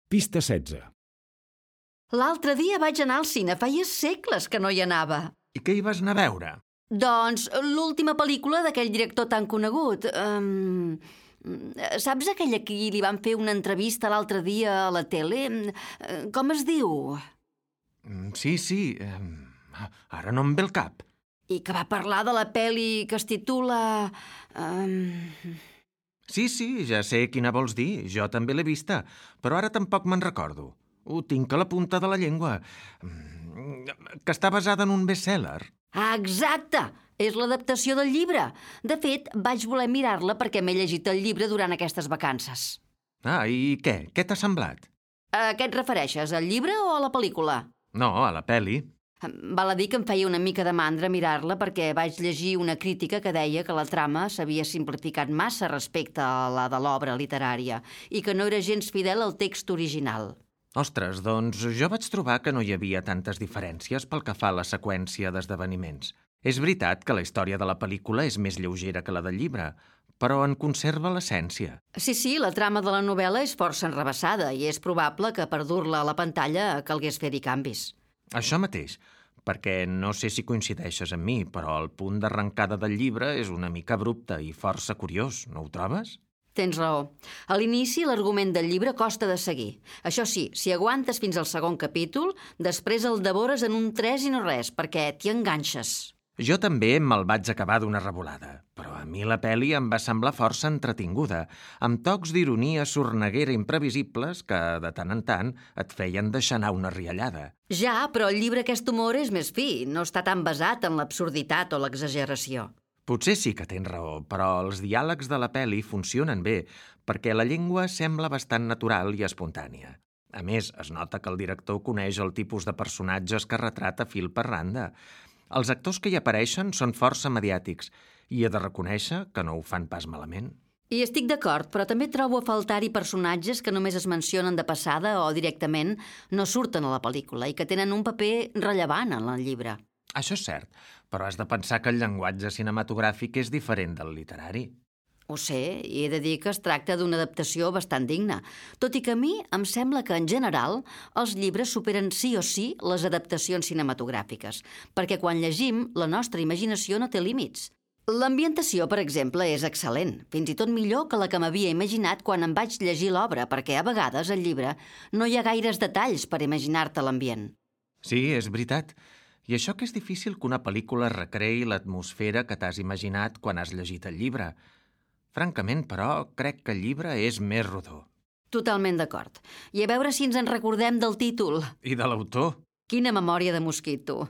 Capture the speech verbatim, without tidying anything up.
Pista setze. L'altre dia vaig anar al cine, feia segles que no hi anava. I què hi vas anar a veure? Doncs l'última pel·lícula d'aquell director tan conegut. Um, saps aquell a qui li van fer una entrevista l'altre dia a la tele? Com es diu? Sí, sí, ara no em ve el cap. I que va parlar de la pel·li que es titula... Um... Sí, sí, ja sé quina vols dir, jo també l'he vista, però ara tampoc me'n recordo. Ho tinc a la punta de la llengua. Que està basada en un best-seller. Ah, exacte! És l'adaptació del llibre. De fet, vaig voler mirar-la perquè m'he llegit el llibre durant aquestes vacances. Ah, i què? Què t'ha semblat? A què et refereixes, al llibre o a la pel·lícula? No, a la pel·li. Val a dir que em feia una mica de mandra mirar-la perquè vaig llegir una crítica que deia que la trama s'havia simplificat massa respecte a la de l'obra literària i que no era gens fidel al text original. Ostres, doncs jo vaig trobar que no hi havia tantes diferències pel que fa a la seqüència d'esdeveniments. És veritat que la història de la pel·lícula és més lleugera que la del llibre, però en conserva l'essència. Sí, sí, la trama de la novel·la és força enrevessada i és probable que per dur-la a la pantalla calgués fer-hi canvis. Això mateix, perquè no sé si coincideixes amb mi, però el punt d'arrencada del llibre és una mica abrupte i força curiós, no ho trobes? Tens raó. A l'inici l'argument del llibre costa de seguir. Això sí, si aguantes fins al segon capítol, després el devores en un tres i no res, perquè t'hi enganxes. Jo també me'l vaig acabar d'una revolada, però a mi la pel·li em va semblar força entretinguda, amb tocs d'ironia sorneguera imprevisibles que, de tant en tant, et feien deixar anar una riallada. Ja, però el llibre aquest humor és més fi, no està tan basat en l'absurditat o l'exageració. Potser sí que tens raó, però els diàlegs de la pel·li funcionen bé, perquè la llengua sembla bastant natural i espontània. A més, es nota que el director coneix el tipus de personatges que retrata fil per randa. Els actors que hi apareixen són força mediàtics i he de reconèixer que no ho fan pas malament. I estic d'acord, però també trobo a faltar-hi personatges que només es mencionen de passada o directament no surten a la pel·lícula i que tenen un paper rellevant en el llibre. Això és cert, però has de pensar que el llenguatge cinematogràfic és diferent del literari. Ho sé, i he de dir que es tracta d'una adaptació bastant digna, tot i que a mi em sembla que, en general, els llibres superen sí o sí les adaptacions cinematogràfiques, perquè quan llegim, la nostra imaginació no té límits. L'ambientació, per exemple, és excel·lent, fins i tot millor que la que m'havia imaginat quan em vaig llegir l'obra, perquè a vegades al llibre no hi ha gaires detalls per imaginar-te l'ambient. Sí, és veritat. I això que és difícil que una pel·lícula recreï l'atmosfera que t'has imaginat quan has llegit el llibre. Francament, però, crec que el llibre és més rodó. Totalment d'acord. I a veure si ens en recordem del títol. I de l'autor. Quina memòria de mosquit, tu.